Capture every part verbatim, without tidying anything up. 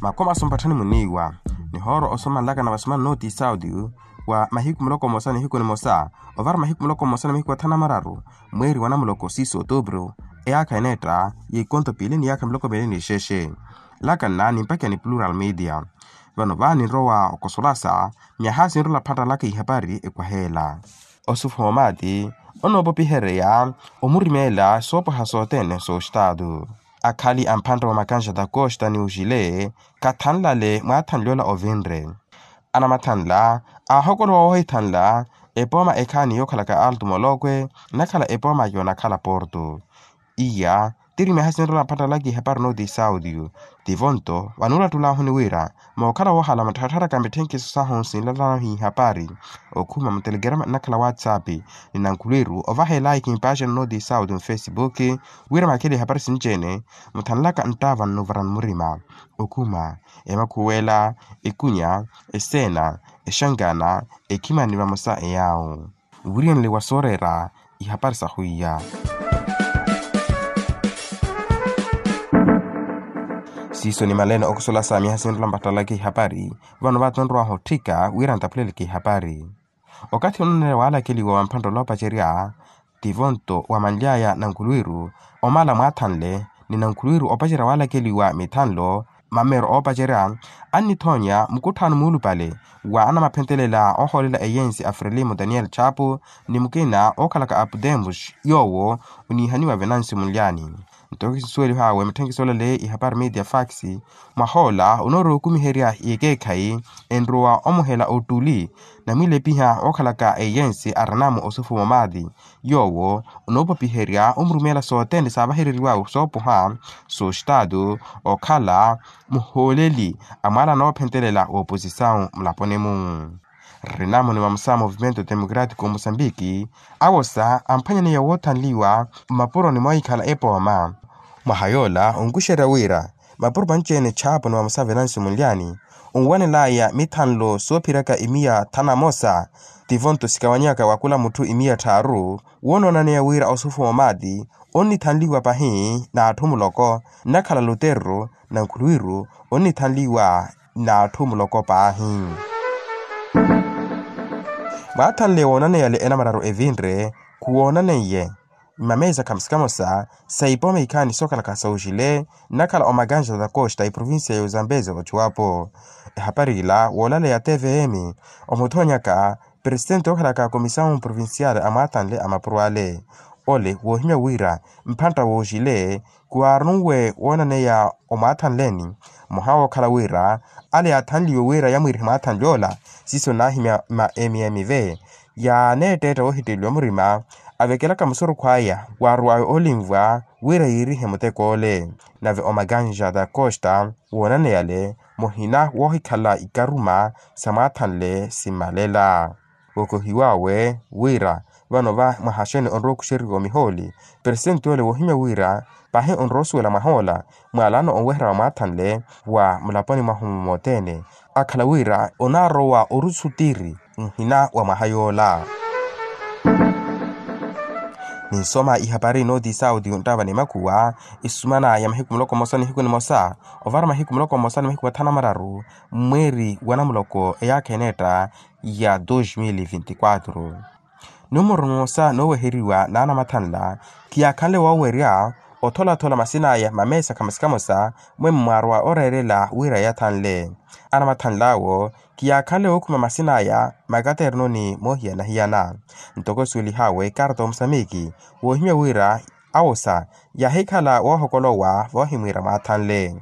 Makomaso mpatthani muniiwa nihooro osomanlakana vasomani nooti saudi wa mahiku muloko mmosa nihiku nimosa ovara mahiku muloko mmosa ni mahiku athanu na mararu mweeri wa namuloko siiso otuupuru eyaakha eneetta y'ikonto piili ni yaakha miloko miili ni xexe. Lakanna nimpakiya ni plural media vano vaani nrowa okosolasa myaha sinrola phattalaka ihapari ekwaheela. Osufu momati onoopopihereya omurimeela soopwaha sothene soxitaatu akhali amphantta wa makanxa takoxita ni oxile khathanlale mwaathanle ola ovinre. Anamathanla aahokolowa woohithanla epooma ekhaani yookhalaka alto molokwe nakhala epooma yoonakhala porto. Iya tiri myaha sinrola phattalaka ihapari nooti saudio tivonto vanuulattulahuni wira mookhala woohala mattharattharaka mitthenkiso sahu sinlalahi ihapari okhuma mutelegrama nnakhala whatsapp ni nankhulwiru ovaha elaiki mpaxani nooti saudio mufesipuki wira makhele ihapari sinci-ene muthanlaka nttaava nnuvarani murima okhuma emakhuwela ekunya eseena exankana ekhimani vamosa eyaawo wiriyanle wa sooreera ihapari sa hwiya. Siiso ni malene okusola sa myaha sinrola mpattalaka ihapari vano vatonrowaha otthika wira ntapuleleke ihapari. Okathi ononeerya waalakeliwa wa mphantta oloopacerya tivonto wa manly'aya nankhulwiru omala mwaathanle ni nankhulwiru opacerya waalakeliwa mithanlo mameero oopacerya annithoonya mukutthaano muulupale wa anamaphentelela oohoolela eyensi a frelimo daniel chapo ni mukina ookhalaka a pudemos yoowo oniihaniwa venancio munlyani. Nto kisuwelihawe mitthenkisi olale ihapari media fax mwahoola onoorowa okumiherya yekeekhayi enrowa omuhela ottuli namwiilepiha ookhalaka eyensi arinamo osufu momati yoowo onoopopiherya omurumeela sothene saavahereriwawe soopoha soxitaatu okhala muhooleli a mwaala anoophentelela wooposisawu mulaponi-mu. Rinamuni vamosa movimento democratico musambiki awosa amphwanyaneya woothanliwa mmapuroni moohikhala epooma. Mwaha yoola onkuxerya wira mapuro manci-ene chapo ni vamosa venancio munlyani onwanelaya mithanlo soophiraka imiya thanu na mosa tivonto sikawanyaka wa kula mutthu imiya tthaaru woonoonaneya wira osufu momati onnithanliwa pahi n'atthu muloko nnakhala luterru nankhulwiru onnithanliwa n'atthu muloko paahi. Mwaathanle woonaneyale enamararu evinre khuwoonaneiye mmameesa khamosa-khamosa sa ipooma ikhaani sookhalaka sooxile nnakhala omakanxa takoxita eprovincia y'ozambezi ochuwapo. Ehapari ila woolaleya tvm omuthoonyaka presitenti ookhalaka komisawu provincial a mwaathanle a mapuro ale ole woohimya wira mphantta wooxile khuwaarunwe woonaneya omwaathanleni mmoha wookhala wira ale yaathanliwe wira yamwiirihe mwaathanle ola siiso naahimya ma mm ve yaaneetteetta woohitteleliwa murima avekelaka musurukhu aya waaruwawe olinvwa wira yiirihe muteko ole. Nave omakanxa takoxita woonaneyale muhina woohikhala ikaruma sa mwaathanle simmalela wokohiwawe wira vano va mwaha xene onrowa okuxeriwa omihooli presitenti ole woohimya wira pahi onrowa osuwela mwahoola mwaalano onweherya wa mwaathanle wa mulaponi mwahu mothene akhala wira onaarowa orusu tiri nhina wa mwaha yoola. Ninsoma ihapari nooti sauti onttava ni makhuwa isumana ya mahiku muloko mmosa nihiku nimosa ovara mahiku muloko mmosa ni mahiku athanu na mararu mweeri wa namuloko eyaakha eneetta ya dos mil e vinte e quatro. Numuru mmosa nooweheriwa n'anamathanla khiyaakhanle woowerya otholathola masin'aya mameesa khamosa-khamosa mwe mmwaarwa oreerela wira yathanle. Anamathanl'awo khiyaakhanle wookhuma masin'aya makaterno ni moohiyana-hiyana ntoko esuwelihawe karta omusamiki woohimya wira awosa yaahikhala woohokolowa voohimwiira mwaathanle.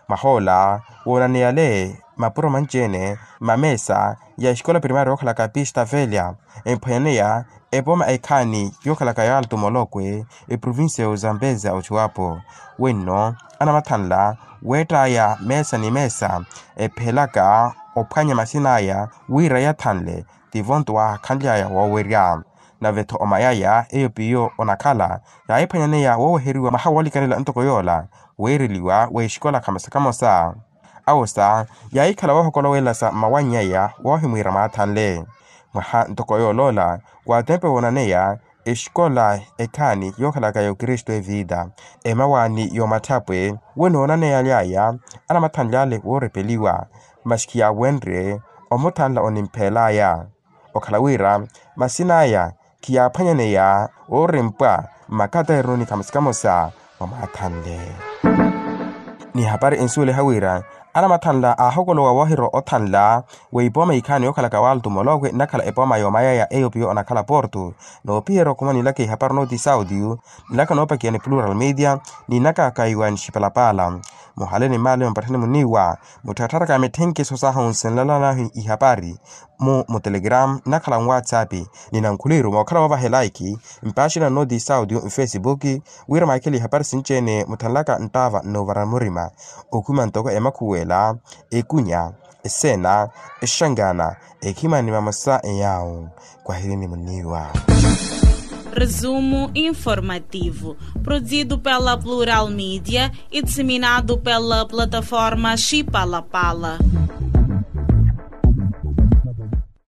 Mwahoola woonaneyale mapuro manci-ene mmameesa ya exikola primaria yookhalaka pista velha emphwanyaneya epooma ekhaani yookhalaka ya alto molokwe eprovincia ya ozambeza ochuwapo. Wenno anamathanla weett'aya meesa ni meesa ephelaka ophwanya masin'aya wira yathanle tivonto waakhanly'aya woowerya. Nave-tho omayaya eyo piyo onakhala yaahiphwanyaneya wooweheriwa mwaha woolikanela ntoko yoola weereliwa w'exikola khamosa-khamosa. Awosa yaahikhala woohokolowelasa mmawanny'aya woohimwiira mwaathanle. Mwaha ntoko yool'ola waatempe woonaneya exikola ekhaani yookhalaka ya okristu evita, emawaani y'omatthapwe, we noonaneyaly'aya anamathanly'ale woorepeliwa, masi khiyaawenrye omuthanla onimph'el'aya. Okhala wira masin'aya khiyaaphwanyaneya oorimpwa mmakateeroni kamosa kamosa mwa mwaathanle. Ni hapari ensuweliha wira anamathanla aahokolowa woohirwa othanla, w'epooma ikhaani yookhalaka waltu molokwe nnakhala epooma y'omayaya eyo piyo onakhala porto, noopiherya okhuma nilaka ihapari nooti saudio, nilaka noopakiya ni plural media, ni naka kaiwa ni xipalapala. Muhale ni mmaale mupatthani muniiwa, mutthattharaka mitthenkhiso sahu nsinlala nahu ihapari mu mutelegram nnakhala nwatsapp, ni nankhuliru mookhala woovahela iki mpaaxina nnooti saudio nfesibuki, wira mwaakele ihapari sinci-ene mutthanlaka nttaava nnoovara murima, okhuma ntoko emakhuwela, ekunya, eseena, exangana, ekhimani mamosa eyaawo. Kwahirini muniiwa. Resumo informativo, produzido pela plural media e disseminado pela plataforma xipalapala.